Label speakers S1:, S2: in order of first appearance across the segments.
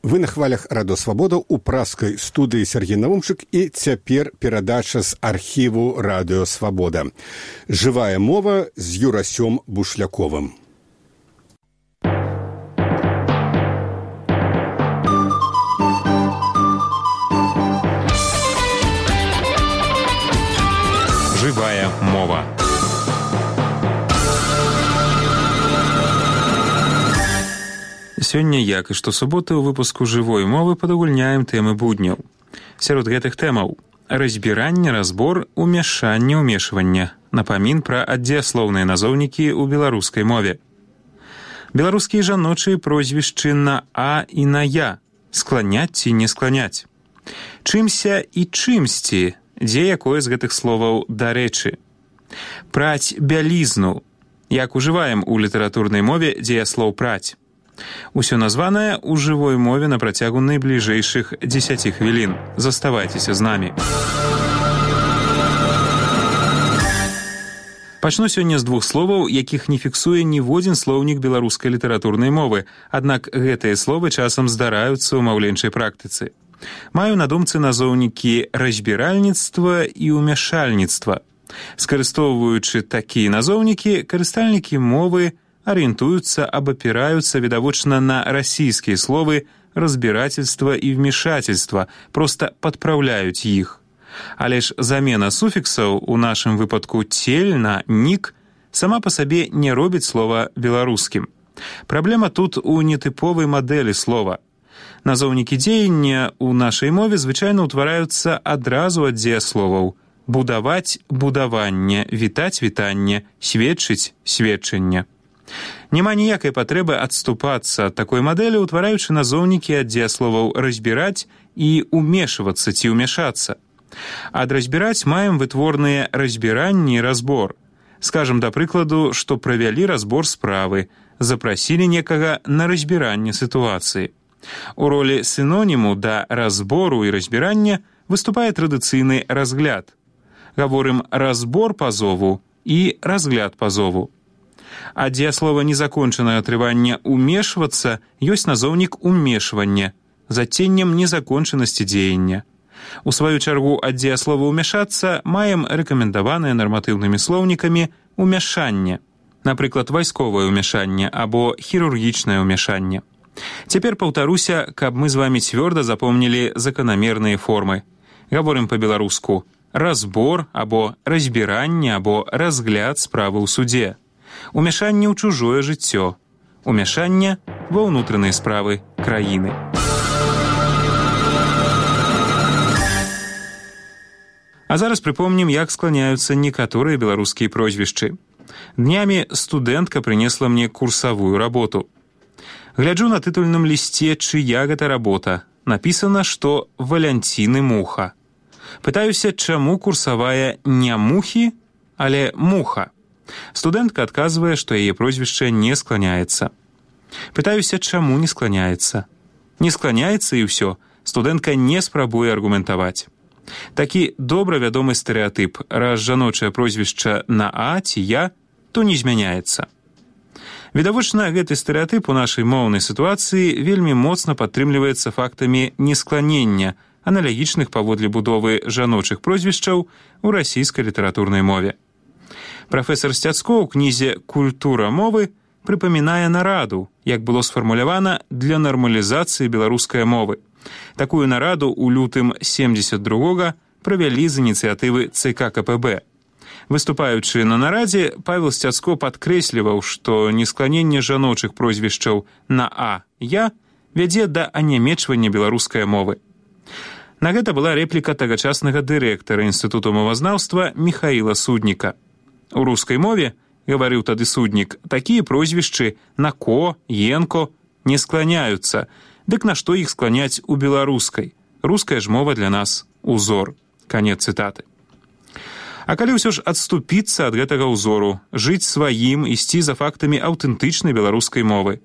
S1: Вы на хвалях Радио Свабода у праскай студыі Сергей Наумчык і цяпер перадача з архіву Радио Свабода. Жывая мова з Юрасём Бушляковым.
S2: Жывая мова. Сёння, як і штосуботы, у выпуску жывой мовы падагульняем тэмы будняў. Сярод гэтых тэмаў разбіранне, разбор, умяшанне, умешванне, напамін пра аддзеяслоўныя назоўнікі ў беларускай мове. Беларускія жаночыя прозвішчы на «а» і на «я», скланяць ці не скланяць. Чымся і чымсьці, дзе якое з гэтых словаў дарэчы. Праць бялізну, як ужываем у літаратурнай мове дзеяслоў праць. Усё названае ў жывой мове на працягу найбліжэйшых 10 хвілін. Заставайцеся з намі. Пачну сёння з двух словаў, якіх не фіксуе ніводзін слоўнік беларускай літаратурнай мовы, аднак гэтыя словы часам здараюцца ў маўленчай практыцы. Маю на думцы назоўнікі разбіральніцтва і умяшальніцтва. Скарыстоўваючы такія назоўнікі, карыстальнікі мовы арыентуюцца, абапіраюцца відавочна на расійскія словы разбірательства і вмешательства, проста падпраўляюць іх. Але ж замена суфіксаў, у нашым выпадку «цель» на «нік», сама па сабе не робіць слова беларускім. Праблема тут у нетыповай мадэлі слова. Назоўнікі дзеяння ў нашай мове звычайна ўтвараюцца адразу ад дзеясловаў. Будаваць – будаванне, вітаць – вітанне, сведчыць – сведчанне. Няма ніякай патрэбы адступацца ад такой мадэлі, утвараючы назоўнікі ад дзеясловаў разбіраць і умешвацца ці ўмяшацца. Ад разбіраць маем вытворныя разбіранне і разбор. Скажам, да прыкладу, што правялі разбор справы, запрасілі некага на разбіранне сітуацыі. У ролі сіноніму да разбору і разбірання выступае традыцыйны разгляд. Гаворым разбор пазову і разгляд пазову. А дзеяслова незакончанае атрымання «умешвацца» ёсць назоўнік «умешвання» з адценнем незакончанасці дзеяння. У сваю чаргу ад дзеяслова «умяшацца» маем рэкамендаванае нарматыўнымі слоўнікамі «умяшанне», напрыклад, вайсковае ўмяшанне або хірургічнае ўмяшанне. Цяпер паўтаруся, каб мы з вамі цвёрда запомнілі заканамерныя формы. Гаворым па-беларуску «разбор» або «разбіранне» або «разгляд справы ў судзе». Умяшанне ў чужое жыццё, умяшанне ва ўнутраныя справы краіны. А зараз прыпомнім, як скланяюцца некаторыя беларускія прозвішчы. Днямі студэнтка прынесла мне курсавую работу. Гляджу на тытульным лісце, чыя гэта работа. Напісана, што Валянціны Муха. Пытаюся, чаму курсавая не мухі, але муха. Студэнтка адказвае, што яе прозвішча не скланяецца. Пытаюся, чаму не скланяецца. Не скланяецца і ўсё, студэнтка не спрабуе аргументаваць. Такі добра вядомы стэрэатып, раз жаночае прозвішча на «а» ці «я», то не змяняецца. Відавочна, гэты стэрэатып у нашай моўнай сітуацыі вельмі моцна падтрымліваецца фактамі нескланення, аналагічных паводле будовы жаночых прозвішчаў у расійскай літаратурнай мове. Прафесар Сцяцко ў кнізе «Культура мовы» прыпамінае нараду, як было сфармулявана для нармалізацыі беларускай мовы. Такую нараду ў лютым 72-го правялі з ініцыятывы ЦК КПБ. Выступаючы на нарадзе, Павел Сцяцко падкрэсліваў, што нескланенне жаночых прозвішчаў на «а», «я» вядзе да анямечвання беларускай мовы. На гэта была рэпліка тагачаснага дырэктара Інстытуту мовазнаўства Міхаіла Судніка. У рускай мове, гаварыў тады Суднік, такія прозвішчы на «ко», «енко» не скланяюцца. Дык на што іх скланяць у беларускай? Руская ж мова для нас – узор. Канец цытаты. А калі ўсё ж адступіцца ад гэтага ўзору, жыць сваім, ісці за фактамі аўтэнтычнай беларускай мовы,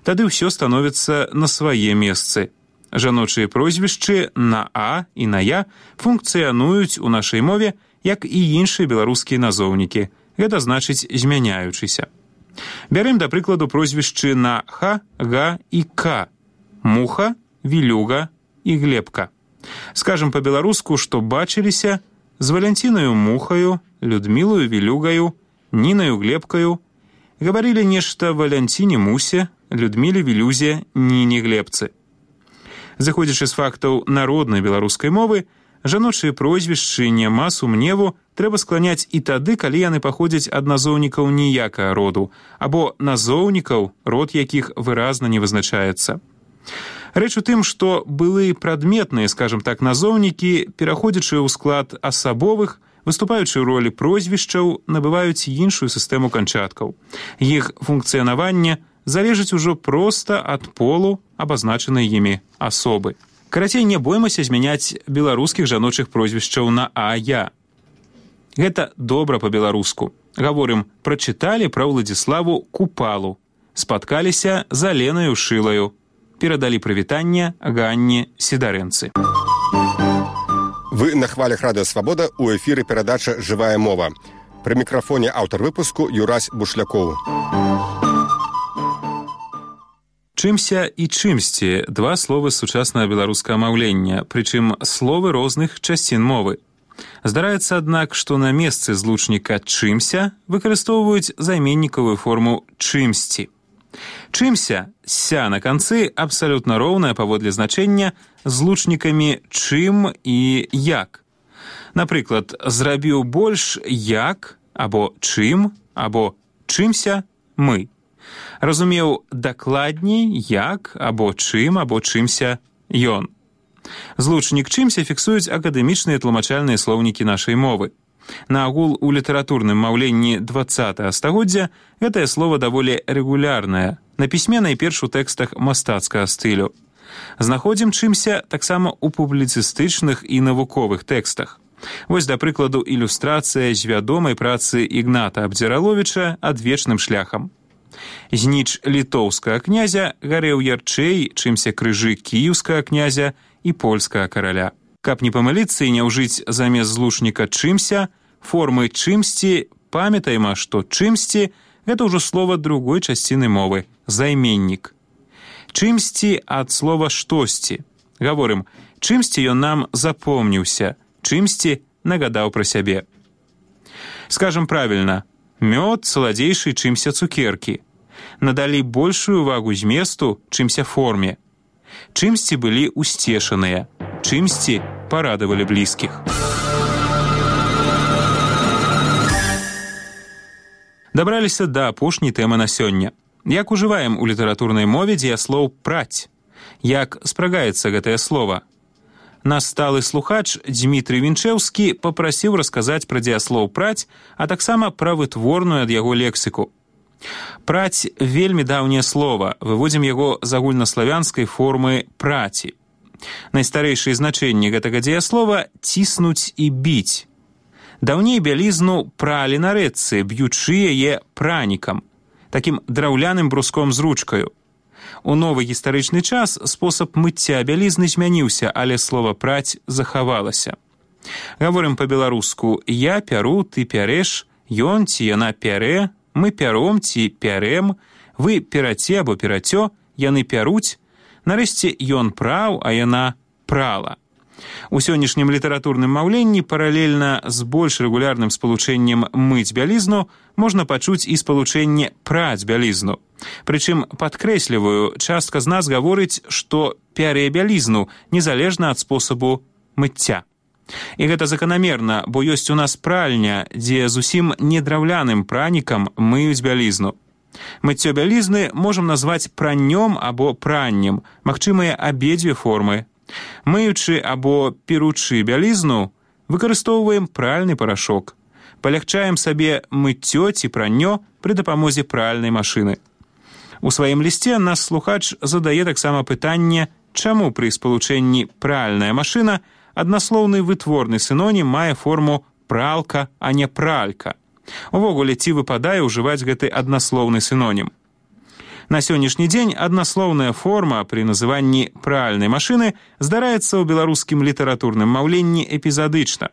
S2: тады ўсё становіцца на свае месцы. Жаночыя прозвішчы на «а» і на «я» функцыянуюць у нашай мове як і іншыя беларускія назоўнікі, гэта значыць змяняючыся. Бярем, да прыкладу, прозвішчы на «ха», «га» і «ка». Муха Вілюга і Глебка. Скажем па-беларуску, што бачыліся з Валянцінаю Мухаю, Людмілаю Вілюгаю, Нінаю Глебкаю, гаварылі нешта Валянціне Мусе, Людміле Вілюзе, Ніне Глебцы. Заходзячы з фактаў народнай беларускай мовы, жаночыя прозвішчы няма сумневу трэба скланяць і тады, калі яны паходзяць ад назоўнікаў ніякага роду, або назоўнікаў, род якіх выразна не вызначаецца. Рэч у тым, што былыя прадметныя, скажем так, назоўнікі, пераходзячы ў склад асабовых, выступаючы ў ролі прозвішчаў, набываюць іншую сістэму канчаткаў. Іх функцыянаванне залежыць ужо проста ад полу абазначанай імі асобы. Карацей, не боймася змяняць беларускіх жаночых прозвішчаў на «а-я». Гэта добра па-беларуску. Гаворым, прачыталі пра Ўладзіславу Купалу, спаткаліся з Аленаю Шылаю, перадалі прывітанне Ганне Сідарэнцы.
S1: Вы на хвалях Радыё Свабода, у эфіры перадача «Жывая мова». Пры мікрафоне аўтар выпуску Юрась Бушлякоў.
S2: Чымся і чымсьці – два словы сучаснага беларускага маўлення, прычым словы розных часцін мовы. Здараецца, аднак, што на месцы злучніка «чымся» выкарыстоўваюць займеннікавую форму «чымсьці». Чымся, ся на канцы, абсалютна роўная паводле значэння злучнікамі «чым» і «як». Напрыклад, зрабіў больш «як» або «чым» або «чымся» мы. Разумеў дакладней «як» або «чым» або «чымся» ён. Злучнік «чымся» фіксуюць акадэмічныя тлумачальныя слоўнікі нашай мовы. Наагул у літаратурным маўленні 20-го стагоддзя гэтае слова даволі рэгулярнае, на пісьме найперш у тэкстах мастацкага стылю. Знаходзім «чымся» таксама ў публіцыстычных і навуковых тэкстах. Вось, да прыкладу, ілюстрацыя з вядомай працы Ігната Абдзіраловіча «Адвечным шляхам». Зніч літоўскага князя гарэў ярчэй, чымся крыжы кіеўскага князя і польскага караля. Каб не памыліцца і не ўжыць замест злучніка «чымся» формы «чымсьці», памятайма, што «чымсьці» – гэта ўжо слова другой часціны мовы – займеннік. «Чымсьці» ад слова «штосьці». Гаворым, чымсьці ён нам запомніўся, чымсьці нагадаў пра сябе. Скажам правільна, мёд саладзейшы, чымся цукеркі. Надалі большую увагу зместу, чымся форме. Чымсьці былі усцешаныя, чымсьці парадавалі блізкіх. Дабраліся да апошняй тэмы на сёння. Як ужываем у літаратурнай мове дзеяслоў «праць»? Як спрагаецца гэтае слова? Наш сталы слухач Дмітрый Вінчэўскі папрасіў расказаць пра дзеяслоў «праць», а таксама пра вытворную ад яго лексіку. «Праць» – вельмі даўняе слова, выводзім яго з агульнаславянскай формы «праці». Найстарэйшыя значэнні гэтага дзеяслова – ціснуць і біць. Даўней бялізну пралі на рэчцы, б'ючы яе пранікам, такім драўляным бруском з ручкаю. У новы гістарычны час спосаб мыцця бялізны змяніўся, але слова «праць» захавалася. Гаворым па-беларуску «я пяру, ты пярэш», «ён ці яна пярэ», «мы пяром ці пярэм», «вы пераце або перацё», «яны пяруць», нарэшце «ён праў, а яна прала». У сённяшнім літаратурным маўленні паралельна з больш рэгулярным спалучэннем «мыць бялізну» можна пачуць і спалучэнне «праць бялізну». Прычым, падкрэсліваю, частка з нас гаворыць, што пярэ бялізну, незалежна ад спосабу мыцця. І гэта заканамерна, бо ёсць у нас пральня, дзе зусім не драўляным пранікам мыюць бялізну. Мыццё бялізны можам назваць праннём або праннем, магчымыя абедзве формы. Мыючы або перучы бялізну, выкарыстоўваем пральны парашок. Палягчаем сабе мыццё ці праннё пры дапамозе пральнай машыны. У сваім лісце наш слухач задае таксама пытанне, чаму пры спалучэнні «пральная машына» аднаслоўны вытворны сінонім мае форму «пралка», а не «пралька». Увогуле, ці выпадае ўжываць гэты аднаслоўны сінонім. На сённяшні дзень аднаслоўная форма пры называнні пральнай машыны здараецца ў беларускім літаратурным маўленні эпізадычна.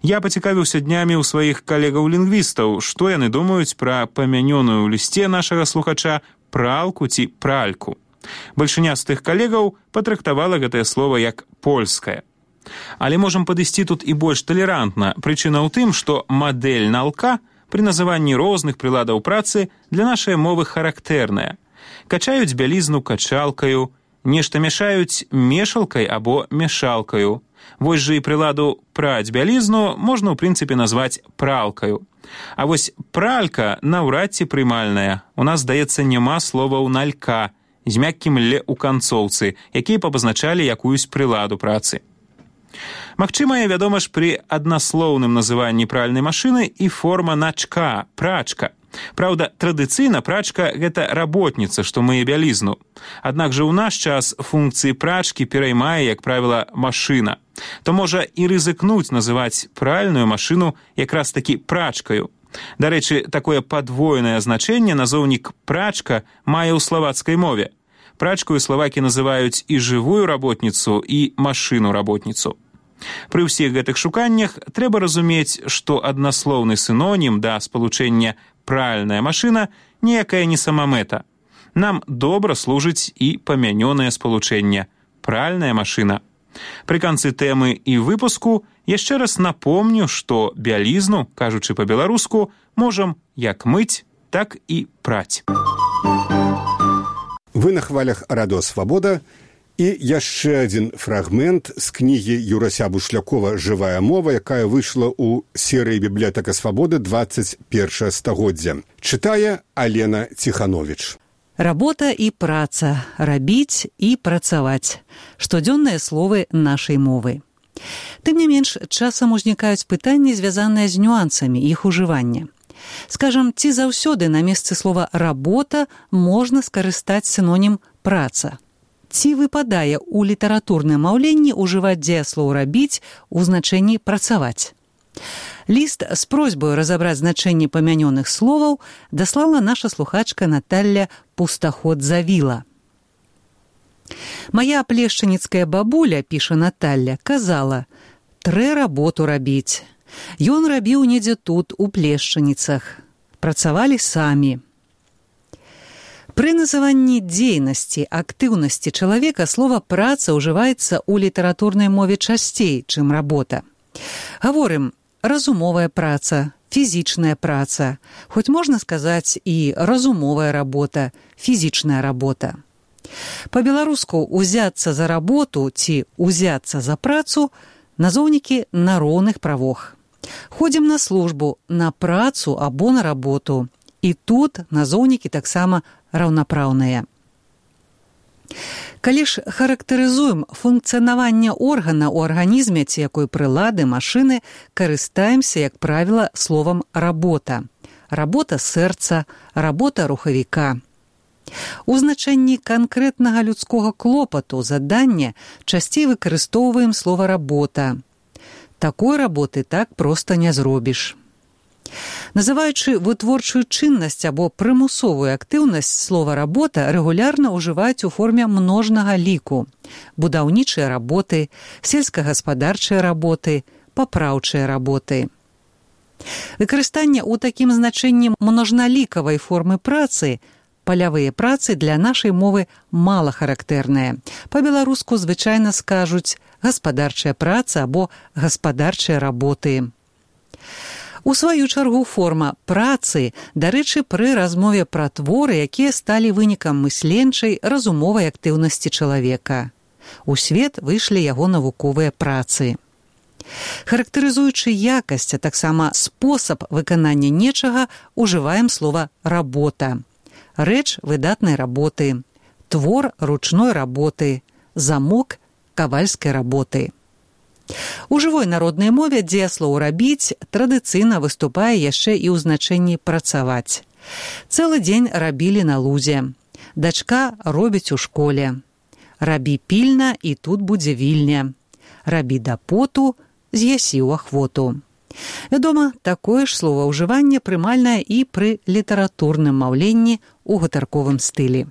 S2: Я пацікавіўся днямі ў сваіх калегаў-лінгвістаў, што яны думаюць пра памянёную ў лісце нашага слухача пралку ці пральку. Бальшыня з тых калегаў патрактавала гэтае слова як польскае. Але можам падысці тут і больш талерантна. Прычына ў тым, што мадэль налка пры называнні розных прыладаў працы для нашай мовы характэрная. Качаюць бялізну качалкаю, нешта мяшаюць мешалкай або мяшалкаю. Вось жа і прыладу праць бялізну можна, ў прынцыпе, назваць пралкаю. А вось пралька наўрад ці прымальная. У нас, здаецца, няма словаў налька з мяккім ле ў канцоўцы, якія пабазначалі якуюсь прыладу працы. Магчымая, вядома ж, пры аднаслоўным называнні пральнай машыны і форма начка, прачка. Праўда, традыцыйна прачка – гэта работніца, што мые бялізну. Аднак жа ў наш час функцыі прачкі пераймае, як правіла, машына. То можа і рызыкнуць называць пральную машыну якраз такі прачкаю. Дарэчы, такое падвойнае значэнне назоўнік прачка мае ў славацкай мове. Прачкаю славакі называюць і жывую работніцу, і машыну-работніцу. Пры ўсіх гэтых шуканнях трэба разумець, што аднаслоўны сінонім да спалучэння пральная машына ніякая не самамэта. Нам добра служыць і памянёнае спалучэнне пральная машына. Пры канцы тэмы і выпуску яшчэ раз напомню, што бялізну, кажучы па-беларуску, можам як мыць, так і праць.
S1: Вы на хвалях Радыё Свабода. І яшчэ адзін фрагмент з кнігі Юрася Бушлякова «Жывая мова», якая выйшла ў серыі «Бібліятэка Свабоды» 21 стагоддзя. Чытае Алена Ціхановіч.
S3: Работа і праца, рабіць і працаваць. Штодзённыя словы нашай мовы. Тым не менш, часам узнікаюць пытанні, звязаныя з нюансамі іх ужывання. Скажам, ці заўсёды на месцы слова «работа» можна скарыстаць сінонім «праца». Ці выпадае ў літаратурным маўленні ўжываць дзеяслоў «рабіць» у значэнні «працаваць». Ліст з просьбаю разабраць значэнне памянёных словаў даслала наша слухачка Наталля Пустаход-Завіла. «Мая плешчаніцкая бабуля, — піша Наталля, — казала, трэ работу рабіць. Ён рабіў недзе тут, у Плешчаніцах. Працавалі самі». Пры называнні дзейнасці, актыўнасці чалавека слова «праца» ўжываецца ў літаратурнай мове часцей, чым работа. Гаворым разумовая праца, фізічная праца, хоць можна сказаць і разумовая работа, фізічная работа. Па-беларуску «узяцца за работу» ці «узяцца за працу» назоўнікі на роўных правах. Ходзім на службу, на працу або на работу. І тут назоўнікі таксама раўнапраўныя. Калі ж характарызуем функцыянаванне органа ў арганізме ці якой прылады, машыны, карыстаемся, як правіла, словам «работа». Работа сэрца, работа рухавіка. У значэнні канкрэтнага людскога клопату, задання часцей выкарыстоўваем слова «работа». Такой работы так проста не зробіш. Называючы вытворчую чыннасць або прымусовую актыўнасць слова «работа» рэгулярна ўжываюць у форме множнага ліку. Будаўнічыя работы, сельскагаспадарчыя работы, папраўчыя работы. Выкарыстанне ў такім значэнні множналікавай формы працы, палявыя працы для нашай мовы мала характэрныя. Па-беларуску звычайна скажуць гаспадарчая праца або гаспадарчыя работы. У сваю чаргу форма працы, дарэчы, пры размове пра творы, якія сталі вынікам мысленчай, разумовай актыўнасці чалавека. У свет выйшлі яго навуковыя працы. Характарызуючы якасць, а таксама спосаб выканання нечага, ужываем слова «работа». Рэч выдатнай работы, твор ручной работы, замок кавальскай работы. У жывой народнай мове дзеяслоў «рабіць» традыцыйна выступае яшчэ і ў значэнні «працаваць». Цэлы дзень рабілі на лузе. Дачка робіць у школе. Рабі пільна, і тут будзе вільня. Рабі да поту, з'ясі ў ахвоту. Вядома, такое ж словаўжыванне прымальнае і пры літаратурным маўленні ў гутарковым стылі.